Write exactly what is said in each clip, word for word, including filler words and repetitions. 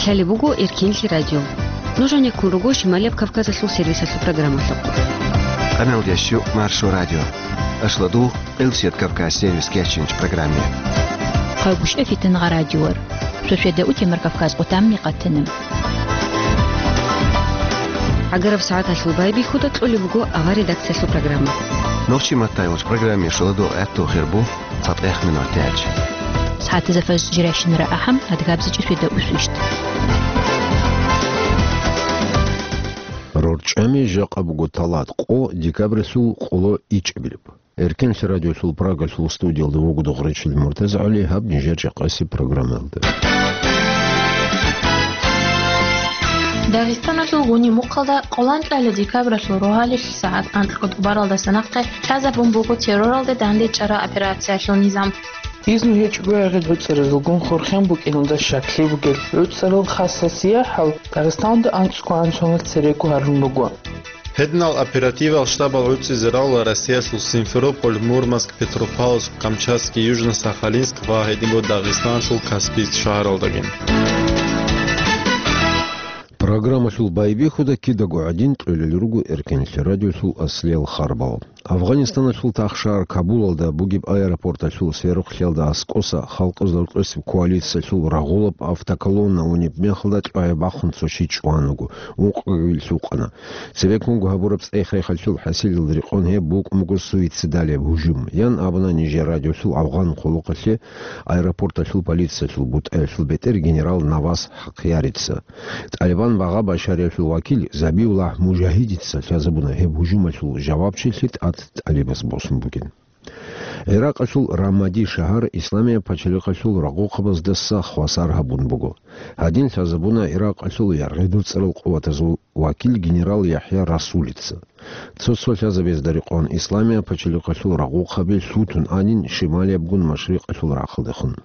Лъалеб буго Эркенлъи радио. Нуж гьанеккун руго Шималияб Кавказалъул сервисалъул программалъухъ. Къаналдеш Маршо радио. Ашладу Элсет Кавказ сервис кечинч программе. Хъагушев Фитнагъа радиор. Шошеда утемар Кавказ къутамми къатанам. Агараб сагӀаталъул байбихьуда кьолеб буго авар редакциялъул программа. Нохчи Маттайолч программе шоладо гӀатту хирбу. ЦатӀехъ минутаялъ. СагӀатазда фажр жирайщинара ахӀам, адгабзичӀи шведа усвищт. РорчӀами жакъа буго талат къо декабралъул къоло ичӀабилеб. Эркенлъи радиолъул Прагалъул студиялда вугода Гъуречил МуртазагӀали гьаб нижер жакъаси программалда. Дагъистаналъул гъуни мухъалда къоланкьала декабралъул рогьалил сагӀат анкьго тӀубаралдаса нахъе лъазабун буго терроралде дандечӀара операциялъул низам. Изну гьечӀого гӀергъи гӀуцӀаразулгун хурхен букӀиналда щаклъи бугел гӀуцӀарал хасасияхӀал Дагъистаналда анцӀго гӀанжуналъ церего гьарун буго. Гьединал оперативал штабал гӀуцӀизе рагӀула Россиялъул Симферополь, Мурманск, Петропавловск, Камчатский, Южно-Сахалинск ва гьединго Дагъистаналъул Каспийск шагьаралдаги. Программалъул байбихьуда кидаго гӀадин кьолел руго Эркенлъи радиолъул аслиял харбал. Афгъанистаналъул тахшагьар Кабулалда бугеб аэропорталъул сверухълъиялда аскӀоса халкъазул рокьосеб коалициялъул рагъулаб автоколонна унеб мехалда чӀвазе бахъун цо чи чӀван вуго, ункъгоги лъукъана. Цебеккунго гьабураб цӀех-рехалъул хӀасилалда рекъон гьеб букӀун буго суицидалияб гьужум, ян абуна нижер радиолъул афгъан хъулухъалъе аэропорталъул полициялъул бутӀаялъул бетӀер генерал Навас Хакъярица. ТӀалибан багъа-башариялъул вакил Забиуллагь Мужагьидица лъазабуна гьеб гьужумалъул жавабчилъи тӀад ТӀалибас босун бугин. ГӀиракъалъул Рамади шагьар Исламияб пачалихъалъул рагъухъабаздаса хвасар гьабун буго. Гьадин лъазабуна Иракъалъул яргъи-дуцӀарал къуватазул вакил генерал ЯхӀя Расулица. Цо-цо лъазабазда рекъон Исламияб пачалихъалъул рагъухъаби лъутун анин шималиябгун машрикъалъул рахъалдехун.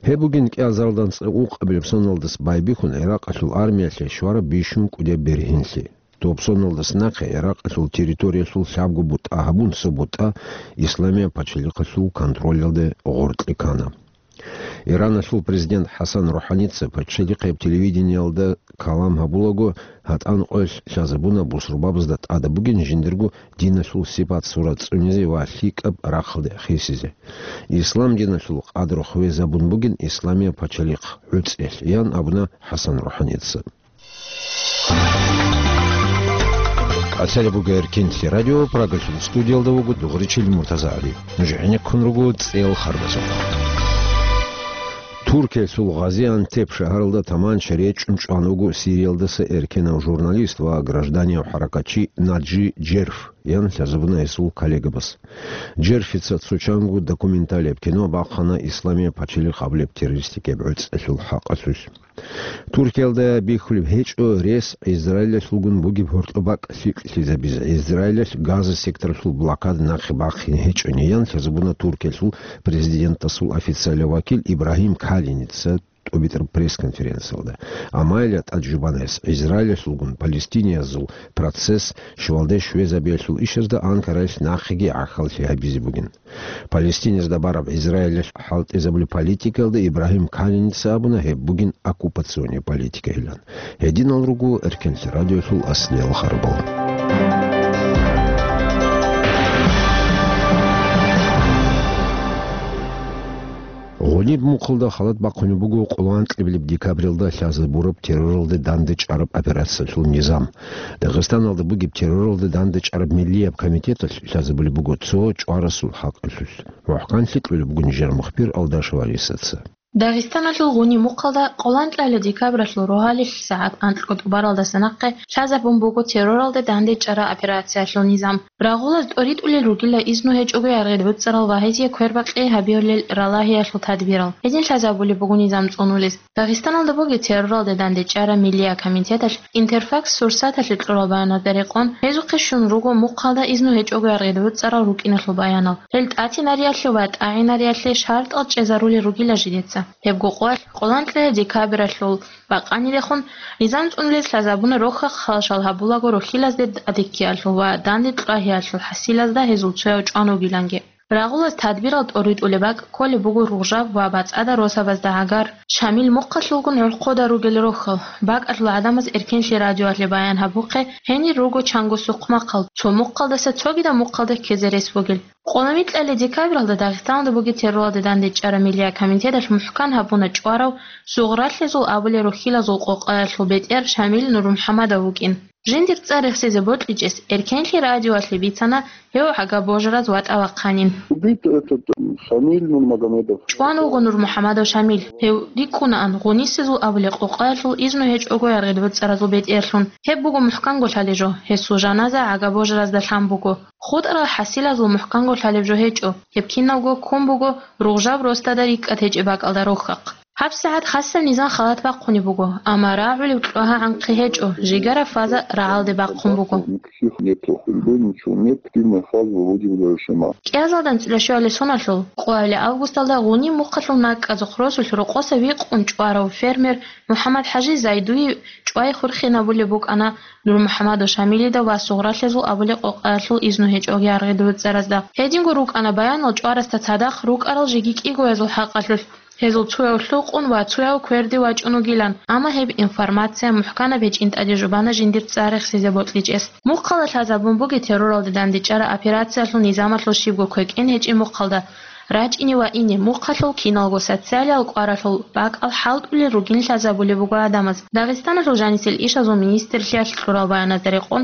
Гьеб бугин кӀиазаралда анцӀила ункъабилеб соналдаса байбихьун Иракъалъул армиялъе щвараб бищун кӀудияб бергьенлъи. Доб соналдаса нахъе Иракъалъул территориялъул лъабго бутӀа гьабун цо бутӀа Исламияб пачалихъалъул контролалде гъоркье ккана. Ираналъул президент ХӀасан РухӀаница пачалихъияб телевидениялда калам гьабулаго, гьатӀан къоялъ лъазабуна бусурбабазда тӀадаб бугин жиндирго диналъул сипат-сурат цӀунизе ва лъикӀаб рахъалде хисизе. Ислам диналъул къадру хвезабун бугин Исламияб пачалихъ гӀуцӀиялъ, ян абуна ХӀасан РухӀаница. Къацалеб буго Эркенлъи радио, Прагалъул студиялда вуго Дугъричил МуртазагӀали. Нуж гӀенеккун руго цӀел харбазухъ. Туркиялъул Гъазиантеп шагьаралда таманча речӀчӀун чӀван вуго Сириялдаса эркенав журналист ва гражданияв хӀаракатчи Наджи Джерф, ян лъазабуна гьесул коллегабас. Джерфица цо чанго документалияб кино бахъана Исламияб пачалихъ абулеб террористикияб гӀуцӀиялъул хӀакъалъулъ. Туркиялда бихьулеб гьечӀо рес Израилалъулгун бугеб гьоркьоб бакӀ лъикӀлъизабизе, Израилалъ Газа секторалъул блокада нахъе бахъине гьечӀони, ян лъазабуна Туркиялъул президентасул официалияв вакил Ибрагьим Калиница тӀубитӀараб пресс-конференциялда. Амма гьелда тӀад жубана гьес, Израилалъулгун палестиниязул процесс щвалде щвезабиялъул ишазда Анкараялъ нахъеги гӀахьаллъи гьабизе бугин. Палестиназда бараб Израилалъ хӀалтӀизабулеб политикаялда Ибрагьим Калиница абуна гьеб бугин оккупационный политикайилан. Гьединал руго Эркенлъи радиолъул аслиял харбал. Гъуниб мухъалда халат бахъунеб буго къоло анкьабилеб декабралда лъазабураб терроралде дандечӀараб операциялъул низам. Дагъистаналда бугеб терроралде дандечӀараб миллияб комитеталъ лъазабулеб буго цо чӀварасул хӀакъалъулъ. МухӀканлъи кьолеб буго нижер мухбир Алдашев Алисаца. Дагъистаналъул гъуниб мухъалда къоло анкьабилеб декабралъул рогьалил сагӀат анкьго тӀубаралдаса нахъе лъазабун буго терроралде дандечӀара операциялъул низам. Рагъулаз тӀоритӀулел ругила изну гьечӀого яргъи-дуцӀарал ва гьезие квербакъи гьабиялъул ралагьиялъул тадбирал. Гьедин лъазабулеб буго низам цӀунулес. Дагъистаналда бугеб терроралде дандечӀараб миллияб комитеталъ Интерфакс сурсаталъе кьураб баянда рекъон, гьезухъе щун руго мухъалда изну гьечӀого яргъи-дуцӀарал рукӀиналъул баянал. Гьел тӀатинариялъе ва тӀагӀинариялъе шартӀал чӀезарулел ругила жидеца. Гьебго къоялъ, къоло анкьабилеб декабралъул бакъанидехун, низам цӀунулес лъазабуна рохьа хъалшал гьабулаго рохьилазде тӀадеккиялъул ва данде кьвагьиялъул хӀасилазда гьезул цояв чӀван вугиланги. Рагъулаз тадбирал тӀоритӀулеб бакӀ кколеб буго Ругъжаб ва БацӀцӀада росабазда гӀагар, Шамил мухъалъулгун гӀорхъода ругел рохьал. БакӀалъул гӀадамаз Эркенлъи радиоялъе баян гьабухъе, гьенир руго чанго сухъмахъал, цо мухъалдаса цогидаб мухъалде ккезе рес бугел. Къоло микьалъе декабралда Дагъистаналда бугеб терроралде дандечӀараб миллият комитеталъ мухӀкан гьабуна чӀварав, Сугъралъезул абулел рухьилазул къокъаялъул бетӀер Шамил НурмухӀамадов вукӀин. Жиндир цӀар рехсизе бокьичӀес Эркенлъи радиоялъе бицана гьев гӀага божараз ватӀа вахъанин. Убит этот, э, Шамиль Нурмагомедов. ЧӀван вуго НурмухӀамадов Шамил. Гьев рикӀкӀунаан Гъунисезул абулеб къокъаялъул изну гьечӀого яргъи буцӀцӀаразул бетӀерлъун. Гьеб буго мухӀканго лъалеб жо, гьесул жаназа гӀага божаразда лъан буго. ХутӀарал хӀасилазул мухӀканго лъалеб жо гьечӀо, гьеб киналго ккун буго Ругъжаб росдада рикӀкӀад гьечӀеб бакӀалда рохьахъ. ГьабсагӀат хасаб низам халат бахъунеб буго, амма рагӀулеб кьвагьа-гӀанхъи гьечӀо, жигара фаза рагӀалде бахъун буго. Никаких нету, льгот ничего нет, активная фаза выводим для решения. КӀиазалда анцӀила щуалеб соналъул къоялъ августалда Гъуниб мухъалъул накӀкӀазухъ росулъ рокъоса викъун чӀварав фермер МухӀаммад-ХӀажи Зайдуев чӀвай хурхинабулеб букӀана НурмухӀамадов Шамилида ва Сугъралъезул абулеб къокъаялъул изну гьечӀого яргъи буцӀцӀаразда. Гьединго рукӀана баянал чӀварасда цадахъ рукӀарал жеги кӀигоязул хӀакъалъулъ. Гьезул цояв лъукъун ва цояв кверде вачӀун вугилан, амма гьеб информация мухӀканаб гьечӀин тӀаде жубана жиндир цӀар рехсизе бокьичӀес. Мухъалда лъазабун бугеб терроралде дандечӀараб операциялъул низамалъул щибго квекӀин гьечӀеб мухъалда. РачӀине ва ине мухъалъул киналго социалиял кӀваралъул бакӀал хӀалтӀулел ругин лъазабулеб буго гӀадамаз. Дагъистаналъул жанисел ишазул министрлъиялъ кьурал баяназда рекъон,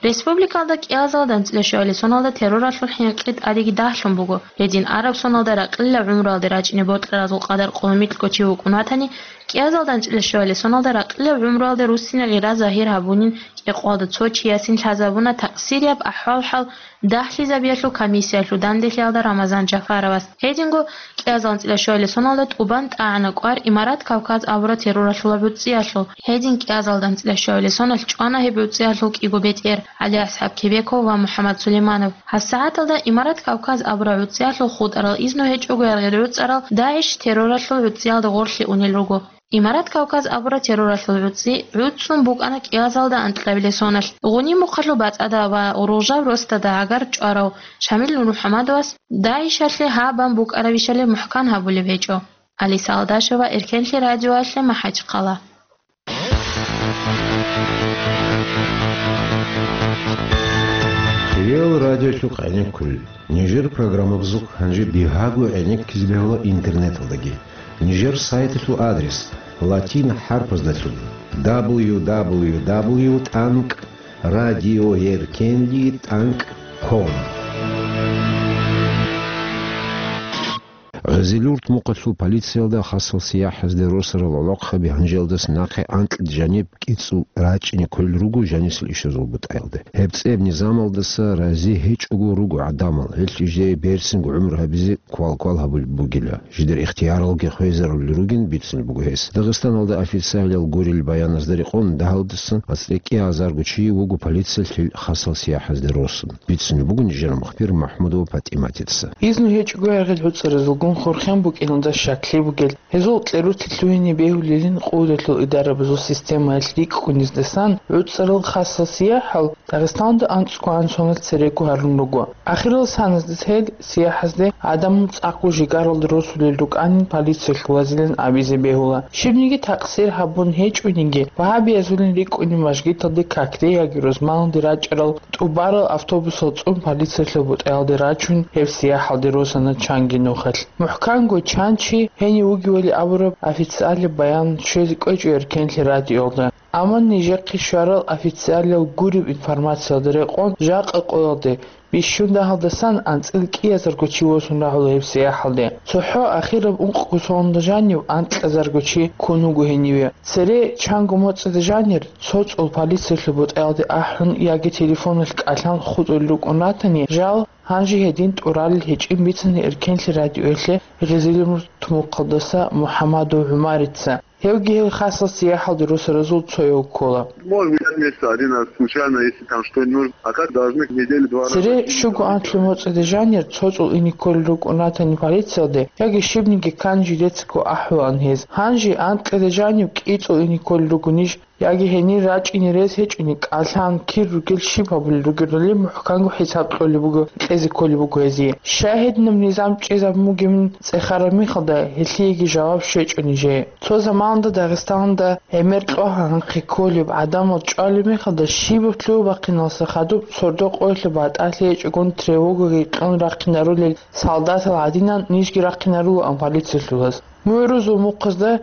республикалда кӀиазалда анцӀила щуалеб соналда терроралъул хӀинкъи тӀадеги дагьлъун буго. Гьедин араб соналда ракьилал гӀумруялде рачӀине бокьаразул къадар къоло микьго чи вукӀун ватани, кӀиазалда анцӀила щуалеб соналда ракьилал гӀумруялде руссине гъира загьир гьабунин кӀикъоялда цо чиясин лъазабуна такъсирияб ахӀвал-хӀал дагьлъизабиялъул комиссиялъул данделъиялда Рамазан Жафаровас. Гьединго кӀиазалда анцӀила щуалеб соналда тӀубан тӀагӀана кӀвар Имарат Кавказ абураб терроралъул гӀуцӀиялъул. Гьедин кӀиазалда анцӀила щуалеб соналъ чӀвана гьеб гӀуцӀиялъул кӀиго бетӀер, ГӀали-АсхӀаб Кебеков ва МухӀаммад Сулейманов. ГьасагӀаталда Имарат Кавказ абураб гӀуцӀиялъул хутӀарал изну гьечӀого яргъи буцӀцӀарал ДАИШ терроралъул гӀуцӀиялда гъорлъе унел руго. Имарат Кавказ абураб терроралъул гӀуцӀи гӀуцӀцӀун букӀана кӀиазалда анкьабилеб соналъ. Гъуниб мухъалъул бацӀцӀада ва Ругъжаб росдада гӀагар чӀварав Шамил НурмухӀамадовас ДАИШалъе гьабун букӀарабищали мухӀкан гьабулеб гьечӀо. Алиса Алдашева, Эркенлъи радиоялъе, МахӀачхъала. Реал радиолъухъ гӀенеккулел. Нижер программабазухъ гьанже бигьаго гӀенеккизе бегьула интернеталдаги. Нижер сайталъул адрес латин хӀарпаздалъун: дабл ю дабл ю дабл ю тӀанкӀ радиоеркенлъи тӀанкӀ ком. Гъезилюрт мухъалъул полициялда хасал сияхӀазде росарал гӀолохъаби гьанжелдаса нахъе анкьида жаниб кӀицӀул рачӀине кколел руго жанисел ишазул бутӀаялде. Гьеб цӀеб низамалдаса рази гьечӀого руго гӀадамал, гьелъ жидее берцинго гӀумру гьабизе квал-квал гьабулеб бугила. Жидер ихтияралги хвезарулел ругин бицунеб буго гьес. Дагъистаналда официалиял гурел баяназда рекъон, дагьалдасан ацӀикӀкӀи азарго чи вуго полициялъул хасал сияхӀазде росун. Бицунеб буго нижер мухбир МахӀмудова ПатӀиматица. Изну гьечӀого яргъи буцӀцӀаразулгун хурхен букӀиналда щаклъи бугел, гьезул кьеруци лъугьине бегьулелин къуваталъул идарабазул системаялъ рикӀкӀуниздасан гӀуцӀарал хасал сияхӀал Дагъистаналда анцӀго гӀан соналъ церего гьарун руго. Ахирал саназда гьел сияхӀазде гӀадамал цӀакъго жигаралда росулел рукӀанин полициялъул вазилан абизе бегьула. Щибниги такъсир гьабун гьечӀониги, вагьабиязулин рикӀкӀунин мажгиталде какде яги рузманалде рачӀарал тӀубарал автобусал цӀун полициялъул бутӀаялде рачун гьеб сияхӀалде росана чанги нухалъ. МухӀканго чан чи гьенив вугевали абураб официалияб баян щвезе кӀвечӀо Эркенлъи радиоялда. Амма нижехъе щварал официалиял гуреб информациялда рекъон, жакъа къоялде бищун дагьалдасан анцӀила кӀиазарго чи восун рагьула гьеб сияхӀалде. ЦохӀо ахираб ункъго соналда жанив анкьазарго чи ккун вуго гьениве. Цере чанго моцӀида жанир цо цӀул полициялъул бутӀаялде ахӀун яги телефоналъ кӀалъан хутӀулел рукӀун ратани, жал гьанже гьедин тӀуралел гьечӀин бицана Эркенлъи радиоялъе Гъезилюрт мухъалдаса МухӀамадов ГӀумарица. Гьевги гьел хасал сияхӀалде росаразул цояв ккола. Может быть, я месяца один раз случайно, если там что-нибудь нужно. А так должны неделю два раза. Цере щуго анлъи моцӀида жанир цо цӀул ине кколел рукӀун ратани полициялде, яги щибниги ккани жидецаго ахӀулаан гьез. Гьанже анкьида жанив кӀицӀул ине кколел руго ниж яги гьенир рачӀине рес гьечӀони, кӀалъан кир ругел щиб гьабулел ругелали мухӀканго хӀисаб кьолеб буго, кьезе кколеб буго гьезие. Щай гьединаб низам чӀезабун бугебин цӀехараб мехалда, гьелъиеги жаваб щвечӀо нижее. Цо заманалда Дагъистаналда гӀемер кьогьа-гьанхъи кколеб, гӀадамал чӀвалеб мехалда щибаб лъугьа-бахъиналдаса хадуб сордо-къоялъе батӀалъи гьечӀогун тревогаги кьун рахъинарулел солдатал гӀадинан нижги рахъинарулаан полициялъулаз. Мугьрузул мухъазда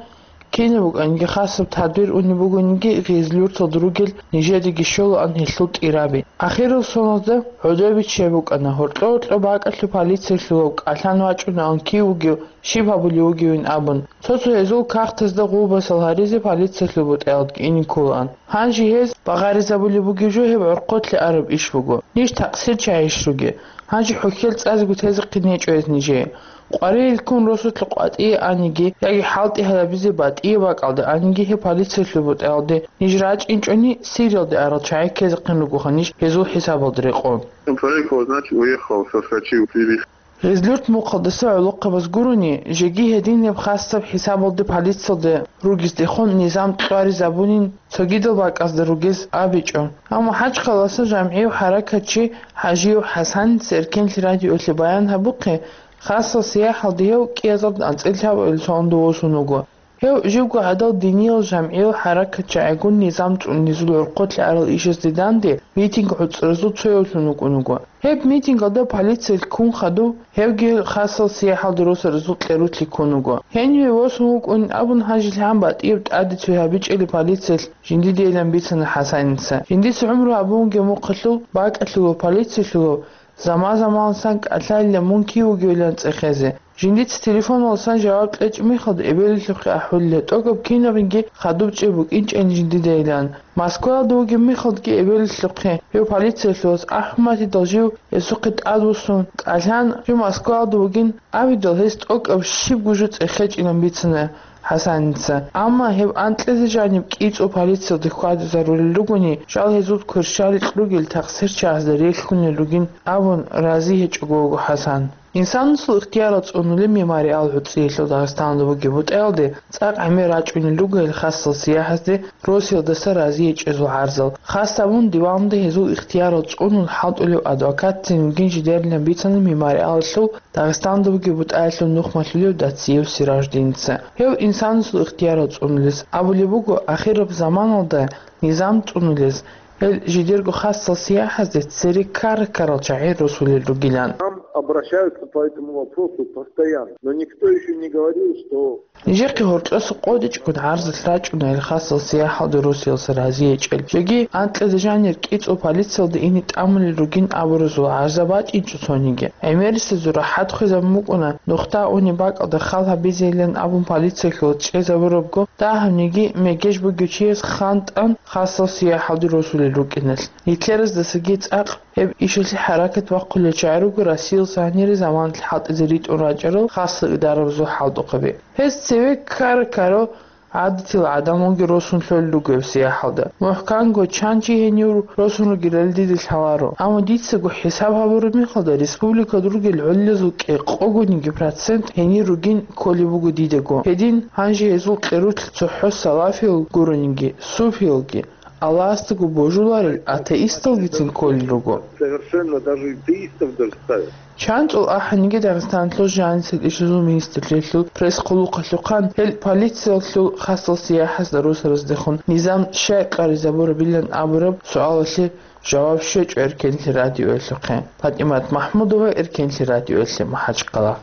кинаб букӀаниги хасаб тадбир унеб бугониги, гъезлъурталда ругел нижедаги щолаан гьелъул тӀираби. Ахирал соналда гӀодобиччай букӀана, гьоркьо-гьоркьо бакӀалъув полициялъулав кӀалъан вачӀунаан кив вугев, щиб гьабулев вугевин абун. Цо-цо гьезул кагътазда гъулбасал гьаризе полициялъул бутӀаялдги ине кколаан. Гьанже гьез багъаризабулеб бугеб жо гьеб гӀорхъолъе араб иш буго. Ниж такъсирчагӀищ ругел? Гьанже хӀухьел цӀазего тезехъин гьечӀо гьез нижее. Къваригьел ккун росулъе къватӀие аниги яги хӀалтӀи гьабизе батӀияб бакӀалде аниги гьеб полициялъул бутӀаялде ниж рачӀинчӀони, Сириялде арал чагӀи ккезехъин ругоха ниж гьезул хӀисабалда рекъон. Человек, вот, значит, уехал, соскочил с телефона. Гъезлъурт мухъалдаса гӀолохъабаз гурони, жеги гьединаб хасаб хӀисабалде полициялда ругездехун низам кьваризабунин цогидал бакӀазда ругез абичӀо. Амма ХӀачкъаласа жамгӀияв хӀаракатчи ХӀажиев ХӀасаница Эркенлъи радиоялъе баян гьабухъе, хасал сияхӀалде гьев кӀиазаб анцӀила лъабабилеб соналда восун вуго. Гьев живго гӀадал диниял жамгӀиял хӀаракатчагӀигун низам цӀунизул гӀорхъолъе арал ишазде данде митинг гӀуцӀразул цоявлъун вукӀун вуго. Гьеб митингалда полициялъ ккун хадуб, гьевги хасал сияхӀалде росаразул кьерулъи ккун вуго. Гьениве восун вукӀунин абун гьанже лъан батӀияб тӀаде цой гьабичӀели полициялъ жиндидейилан бицана ХӀасаница. Жиндица гӀумру гьабун вугеб мухъалъул бакӀалъулав полициялъулав заман-заманалсан кӀалъайилан мун кив вугевилан цӀехезе. Жиндица телефоналдасан жаваб кьечӀеб мехалда эбелалъухъе ахӀулила, тӀокӀаб кинабниги хадуб чӀей букӀинчӀин жиндидайилан. Москваялда вугеб мехалдаги эбелалъухъе гьев полициялъулаз АхӀматидал жив гьесухъе тӀадвуссун, кӀалъан жив Москваялда вугин абидал, гьес тӀокӀаб щибго жо цӀехечӀилан бицана ХӀасаница. Амма гьеб анкьизе жаниб кӀицӀул полициялде хьвадизарулел ругони, жал гьезул кверщаликь ругел такъсирчагӀазда релълъунел ругин абун рази гьечӀого вуго ХӀасан. Инсанасул ихтиярал цӀунулеб мемориал гӀуцӀиялъул Дагъистаналда бугеб бутӀаялде цӀакъ гӀемер рачӀунел руго гьел хасал сияхӀазде Россиялдаса рази гьечӀезул гӀарзал. Хас абун диванде гьезул ихтиярал цӀунун хӀалтӀулев адвокатцин вугин жидерилан бицана мемориалалъул Дагъистаналда бугеб бутӀаялъул нухмалъулев Дациев Сираждиница. Гьев инсанасул ихтиярал цӀунулес абулеб буго, ахираб заманалда низам цӀунулес, гьел жидерго хасал сияхӀазде цере ккара-ккарал чагӀи росулел ругилан. Нам обращаются по этому вопросу постоянно, но никто ещё не говорил, что Нижехъе гьоркьоса къотӀичӀого гӀарзалъ рачӀуна гьел хасал сияхӀалде Россиялдаса рази гьечӀел. Жеги анкьизе жанир кӀицӀул полициялда ине тӀамулел ругин абуразул гӀарза бачӀинчӀо цониги. ГӀемерисезул рахӀат хвезабун букӀуна, нухда унеб бакӀалда хал гьабизейилан абун полициялъулаз чӀезабурабго, дагьабниги мегеж бугев чияс хантӀан хасал сияхӀалде росулел рукӀиналъ. Гитлераздасаги цӀакъ гьеб ишалъе хӀаракат бахъулел чагӀи руго Россиялдаса гьанире заманалъ хӀалтӀизе ритӀун рачӀарал хасал идарабазул хӀалтӀухъаби. Гьез цеве ккара-ккарал гӀадатил гӀадамалги росун лъолел руго гьеб сияхӀалда. МухӀканго чан чи гьенив росун ругелали дида лъаларо. Амма дицаго хӀисаб гьабураб мехалда, республикалда ругел гӀолилазул кӀикъогониги процент гьенир ругин кколеб буго дидаго. Гьедин, гьанже гьезул кьерулъ цохӀо салафиял гурониги, суфиялги, Аллагьасдаго божуларел атеисталгицин кколел руго. Совершенно даже атеистов даже ставят. ЧанцӀул ахӀаниги Дагъистаналъул жанисел ишазул министрлъиялъул пресс-хъулухъалъухъан гьел полициялъул хасал сияхӀазда росараздехун низам щай къаризабурабилан абураб суалалъе жаваб щвечӀо Эркенлъи радиоялъухъе. ПатӀимат МахӀмудова, Эркенлъи радиоялъе, МахӀачкъала.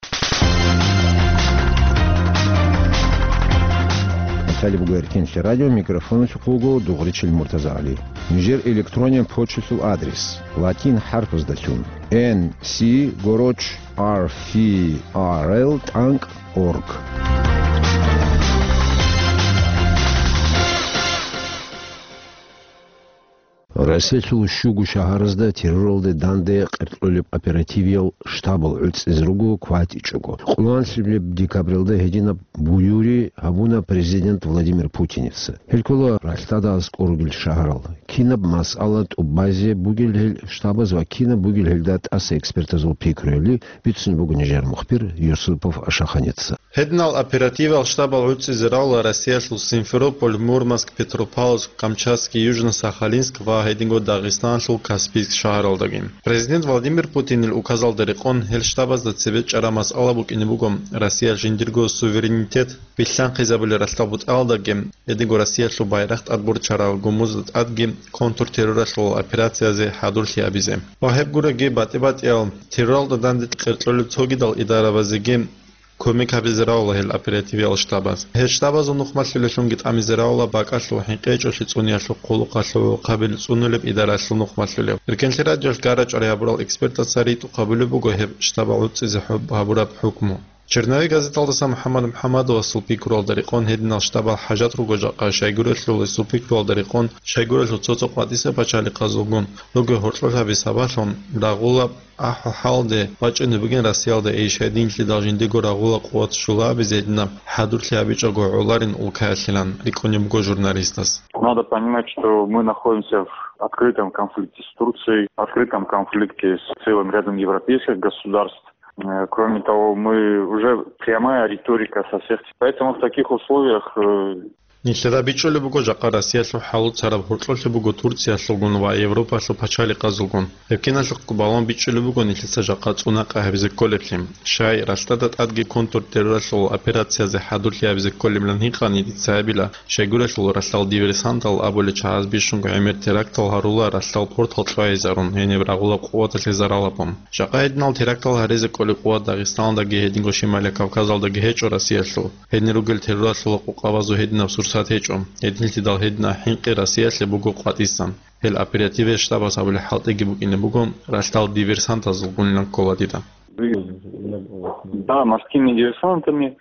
Италия буго Эркенлъи радио, микрофоналъухъ вуго Дугъричил МуртазагӀали. Нижер электронен почталъул адрес: латин хӀарпаздалъун, N C гороч R F R L тӀанкӀ org. Россиялъул щуго шагьаразда терроралде данде къеркьулеб оперативиял штабал гӀуцӀизе руго кватӀичӀого. Къоло анлъабилеб декабралда гьединаб буюри гьабуна президент Владимир Путиница. Гьел ккола ралъдада аскӀор ругел шагьарал. Кинаб масъала тӀубазе бугел гьел штабаз ва кинаб бугел гьелда тӀаса экспертазул пикруяли, бицун буго нижер мухбир Юсупов Ашаханица. Гьединал оперативал штабал гӀуцӀизе равла Россиялъул Симферополь, Мурманск, Петропавловск, Камчатский, Южно-Сахалинск ва гьединго Дагъистаналъул Каспийск шагьаралдаги. Президент Владимир Путинил указалда рекъон гьел штабазда цебе чӀараб масъала букӀине буго Россиял жиндирго суверенитет билълъанхъизабулел ралъдал бутӀаялдаги, гьединго Россиялъул байрахъ тӀадборчараб гумузда тӀадги контртерроралъул операциязе хӀадурлъи гьабизе. Ва гьеб гуроги батӀи-батӀиял терроралда данде къеркьолел цогидал идарабазеги кумек гьабизе равла гьел оперативиял штабаз. Гьел штабазул нухмалъулеллъунги тӀамизе равла бакӀалъул хӀинкъичӀолъи цӀуниялъул хъулухъалъул гӀурхъабил цӀунулеб идаралъул нухмалъулев. Эркенлъи радиолъ гарачӀварай гьабурал экспертаца ритӀухъ гьабулеб буго гьеб штабал гӀуцӀизе хӀуб гьабураб хӀукму. Черновик газеталдаса МухӀаммад МухӀаммадовасул пикруялда рекъон гьединал штабал хӀажат руго жакъа, щайгурелъул гьесул пикруялда рекъон, щайгурелъул цо-цо къватӀиса пачалихъазулгун руго гьоркьоб гьабизе сабаблъун рагъулаб АхӀо-хӀалде бачӀунеб бугин Россиялда иш гьединлъидал жиндиего рагъула къуват щула абизе гьединаб хӀадурлъи гьабичӀого гӀоларин улкаялъилан рикӀкӀунеб буго журналистас. Надо понимать, что мы находимся в открытом конфликте с Турцией, открытом конфликте с целым рядом европейских государств. Э, кроме того, мы уже прямая риторика со всех. Поэтому в таких условиях, э, Нилъеда бичӀчӀулеб буго жакъа Россиялъул хӀалуцараб гьоркьолъи буго Турциялъулгун ва Европалъул пачалихъазулгун. Гьеб киналъухъго балун бичӀчӀулеб буго нилъеца жакъа цӀунакъа гьабизе кколеблъи. Щай, ралъдада тӀадги контртерроралъул операциязе хӀадурлъи гьабизе кколеблъан гьикъани дица гьабила, щайгурелъул ралъдал диверсантал абулел чагӀаз бищунго гӀемер терактал гьарула ралъдал портал кьвайизарун гьениб рагъулаб къуваталъе зарал гьабун. Жакъа гьединал терактал гьаризе кколеб къуват Дагъистаналдаги гьединго Шималияб Кавказалдаги гьечӀо Россиялъул. Гьедин ругел терроралъула къукъабазул гьединаб сурсат гьечӀо. Гьединлъидал гьединаб хӀинкъи Россиялъе буго къватӀисан. Гьел оперативе штабас абулеб хӀалтӀиги букӀине буго, ралъдал диверсантазулгунилан ккола дида. Да, морскими диверсантами,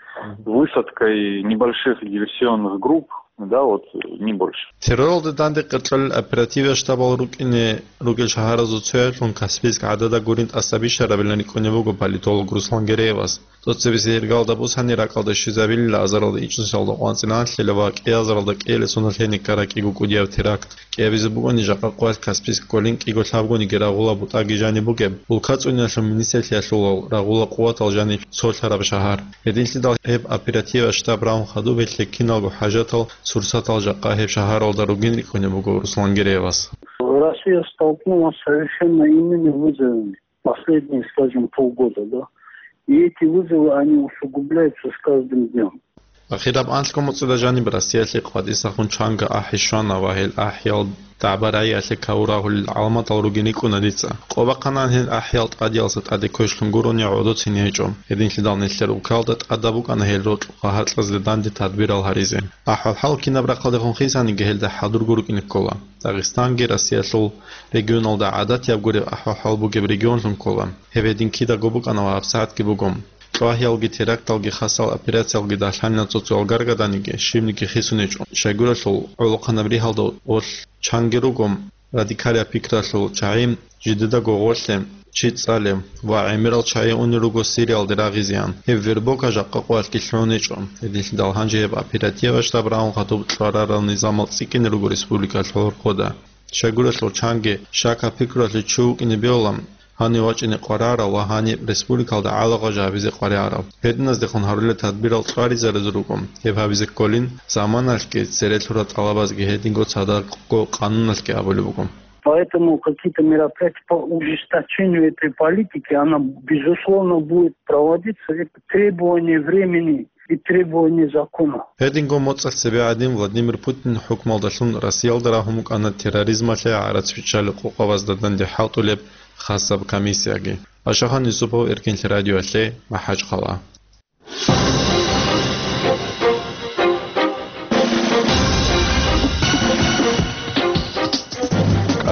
высадкой небольших диверсионных групп, да, вот, не больше. Терроралда данде къеркьолел оперативе штабал рукӀине ругел шагьаразул цоялъун Каспийск гӀадада гурин тӀаса бищарабилан рикӀкӀунеб буго политолог Руслан Гереевас. ТӀоцебесеб иргалда бусани ракӀалда щвезабилила азаралда ичӀнусиялда къванцӀиналъила ва кӀиазаралда кӀиялесуналъ гьениб ккараб кӀиго кӀудияб теракт. КӀиабизе бугони жакъа къоялъ Каспийск кколин кӀиго лъабгониги рагъула бутӀаги жаниб бугеб, улка цӀунилалъул министрлъиялъулал рагъула къуватал жаниб цолъараб шагьар. Гьединлъидал гьеб оперативалъ штаб рагьун хадуб гьелъе киналго хӀажатал, сурсатал жакъа гьеб шагьаралда ругин рикӀкӀунеб буго Руслан Гереевас. Россия столкнулась с совершенно иными вызовами последние, скажем, полгода, да. И эти вызовы, они усугубляются с каждым днём. Ахираб анлъго муцӀида жаниб Россиялъе къватӀисахун чанго ахӀи щвана ва гьел ахӀиял дагӀба-рагӀиялъе каву рагьулел гӀаламатал ругин рикӀкӀуна дица. Къо бахъанани гьел ахӀиял тӀадиялдаса тӀаде квешлъун гурони гӀодоцин гьечӀо. Гьединлъидал нилъер улкалда тӀадаб букӀана гьел рокьукъа гьаркьазда данде тадбирал гьаризе. АхӀвал-хӀал кинаб рахъалдехун хисаниги гьелда хӀадурго рукӀине ккола. Дагъистанги Россиялъул регионалда гӀадатияб гуреб ахӀвал-хӀал бугеб регионлъун ккола. Гьеб гьедин кидаго букӀана ва гьабсагӀатги буго. Кьвагьиялги теракталги хасал операциялги дагьлъанила цо-цоял гаргаданиги, щибниги хисунечӀо. Щайгурелъул гӀолохъанаб ригьалда гъолъ чанги руго радикалияб пикралъул чагӀи, жидедаго гъолъе чи цӀалев ва гӀемерал чагӀи унел руго Сириялде рагъизеян. Гьеб вербовка жакъа къоялъги лъугӀунечӀо. Гьединлъидал гьанже гьеб оперативалъ штаб рагьун хадуб кьварарал низамал цӀикӀкӀине руго республикалъул гьоркьода. Щайгурелъул чанги щакаб пикралъе чи вукӀине бегьулан, гьанив вачӀине къваригӀарав ва гьаниб республикалда гӀалагъа жо гьабизе къваригӀарав. Гьединаздехун гьарулел тадбирал цӀваризаризе руго, гьеб гьабизе кколин, заманалъги цере лъурал тӀалабазги гьединго цадахъго къануналъги абулеб буго. Поэтому какие-то мероприятия по ужесточению этой политики, она, безусловно, будет проводиться. Это требование времени и требование закона. Гьединго моцӀалъ цебе гӀадин Владимир Путин хӀукмалдалъун Россиялда рагьун букӀана терроризмалъе гӀарац биччалел къокъабазда данде хӀалтӀулеб хасаб комиссияги. Пашахан Юсупов, Эркенлъи радиоялъе, МахӀачхъала.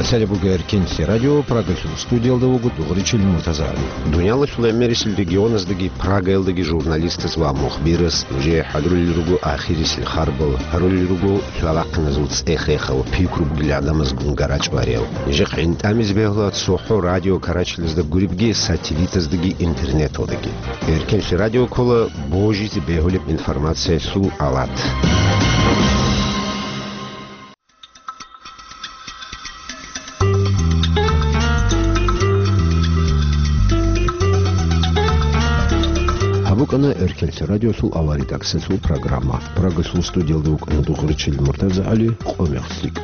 КӀалъалеб буго Эркенлъи радио, Прагалъул студиялда вуго Дугъричил Муртазагьли. Дуниялалъул гӀемерисел регионаздаги Прагаялдаги журналистаз ва мухбираз нужее хӀадурулел руго ахирисел харбал, гьарулел руго лъалахъиназул цӀех-рехал, пикру бугел гӀадамазгун гарачӀвариял. Нижехъ гӀинтӀамизе бегьула цохӀо радио карачилазда гуребги, сателлитаздаги интернеталдаги. Эркенлъи радио ккола божизе бегьулеб информациялъул алат. Гьаб букӀана Эркенлъи радиолъул аваридаксалъул программа. Прагалъул студиялда вукӀана Дугъричил МуртазагӀали, къо-мех лъикӀ.